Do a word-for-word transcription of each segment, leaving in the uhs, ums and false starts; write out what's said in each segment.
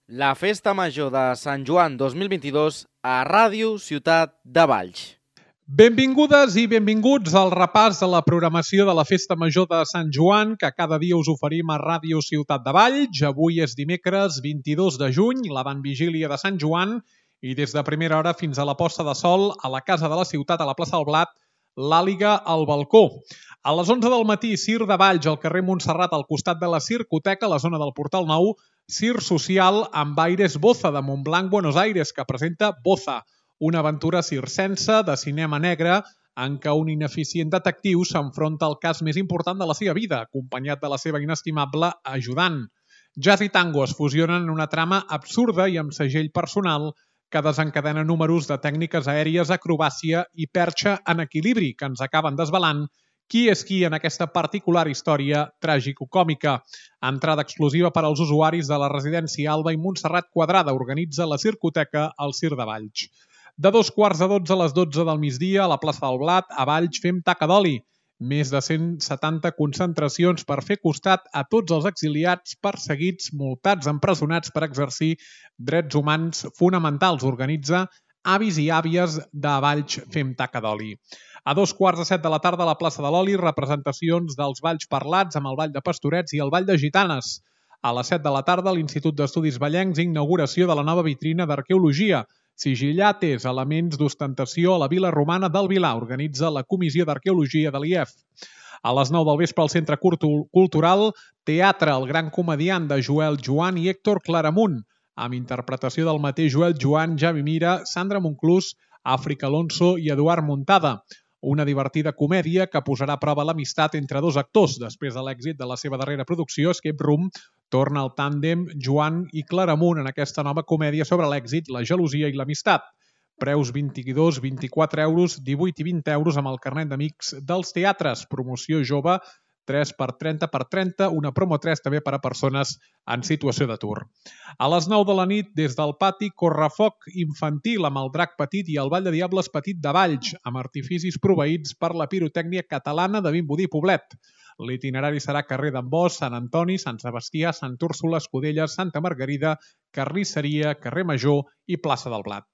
La Festa Major de Sant Joan dos mil vint-i-dos a Ràdio Ciutat de Valls. Benvingudes i benvinguts al repàs de la programació de la Festa Major de Sant Joan que cada dia us oferim a Ràdio Ciutat de Valls. Avui és dimecres vint-i-dos de juny, l'avantvigília de Sant Joan, i des de primera hora fins a la posta de sol a la Casa de la Ciutat, a la plaça del Blat, l'Àliga al balcó. A les onze del matí, Cir de Valls, al carrer Montserrat, al costat de la Circoteca, a la zona del Portal Nou, Cir Social amb Aires Boza de Montblanc, Buenos Aires, que presenta Boza, una aventura circense de cinema negre en què un ineficient detectiu s'enfronta al cas més important de la seva vida, acompanyat de la seva inestimable ajudant. Jazz i tango es fusionen en una trama absurda i amb segell personal que desencadena números de tècniques aèries, acrobàcia i perxa en equilibri que ens acaben desvelant qui és qui en aquesta particular història tràgico-còmica. Entrada exclusiva per als usuaris de la residència Alba i Montserrat Quadrada organitza la Circoteca al Cir de Valls. De dos quarts de dotze a les dotze del migdia, a la plaça del Blat, a Valls fem taca d'oli. Més de cent setanta concentracions per fer costat a tots els exiliats, perseguits, multats, empresonats per exercir drets humans fonamentals. Organitza avis i àvies de Valls fem taca d'oli. A dos quarts de set de la tarda a la plaça de l'Oli, representacions dels balls parlats amb el Ball de Pastorets i el Ball de Gitanes. A les set de la tarda, a l'Institut d'Estudis Vallencs, inauguració de la nova vitrina d'arqueologia. Sigillates, elements d'ostentació a la vila romana del Vilar, organitza la Comissió d'Arqueologia de l'I E F. A les nou del vespre al Centre Cultural, teatre El gran comediant de Joel Joan i Héctor Claramunt, amb interpretació del mateix Joel Joan, Javi Mira, Sandra Monclús, Àfrica Alonso i Eduard Muntada. Una divertida comèdia que posarà a prova l'amistat entre dos actors. Després de l'èxit de la seva darrera producció, Escape Room, torna al tàndem Joan i Claramunt en aquesta nova comèdia sobre l'èxit, la gelosia i l'amistat. Preus vint-i-dos, vint-i-quatre euros, divuit i vint euros amb el carnet d'amics dels teatres. Promoció jove, tres per trenta per trenta, una promo tres també per a persones en situació d'atur. A les nou de la nit, des del pati, correfoc infantil amb el drac petit i el ball de diables petit de Valls, amb artificis proveïts per la pirotècnia catalana de Vimbodí i Poblet. L'itinerari serà carrer d'en Bosch, Sant Antoni, Sant Sebastià, Sant Úrsula, Escudelles, Santa Margarida, Carnisseria, carrer Major i plaça del Blat.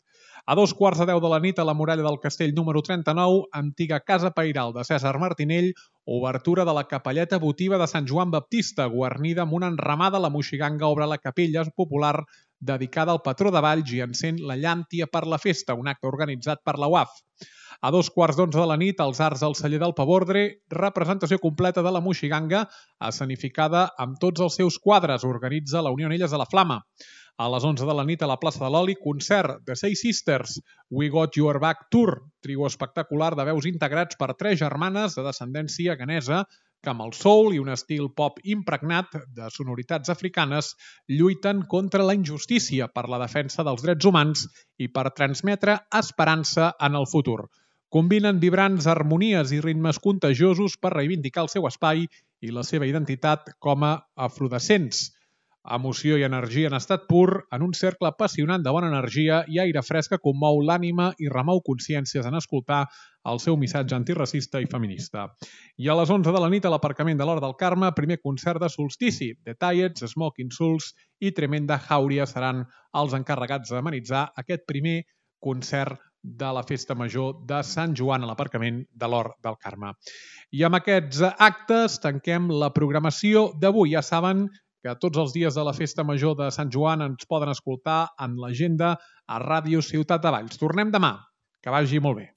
A dos quarts de deu de la nit, a la muralla del castell número trenta-nou, antiga casa pairal de Cèsar Martinell, obertura de la capelleta votiva de Sant Joan Baptista, guarnida amb una enramada. La moixiganga obre la capella popular dedicada al patró de Valls i encén la llàntia per la festa, un acte organitzat per la U A F. A dos quarts d'onze de la nit, als Arts del Celler del Pavordre, representació completa de la moixiganga, escenificada amb tots els seus quadres, organitza la Unió Anelles de la Flama. A les onze de la nit, a la plaça de l'Oli, concert de Seis Sisters, We Got Your Back Tour, trio espectacular de veus integrats per tres germanes de descendència ghanesa que amb el soul i un estil pop impregnat de sonoritats africanes lluiten contra la injustícia per la defensa dels drets humans i per transmetre esperança en el futur. Combinen vibrants harmonies i ritmes contagiosos per reivindicar el seu espai i la seva identitat com a afrodescents. Emoció i energia en estat pur, en un cercle apassionant de bona energia i aire fresc que commou l'ànima i remou consciències en escoltar el seu missatge antiracista i feminista. I a les onze de la nit, a l'aparcament de l'Hort del Carme, primer concert de solstici. The Tiets, Smoking Souls i Tremenda Jauria seran els encarregats d'amenitzar aquest primer concert de la Festa Major de Sant Joan a l'aparcament de l'Hort del Carme. I amb aquests actes tanquem la programació d'avui. Ja saben que tots els dies de la Festa Major de Sant Joan ens poden escoltar en l'agenda a Ràdio Ciutat de Valls. Tornem demà. Que vagi molt bé.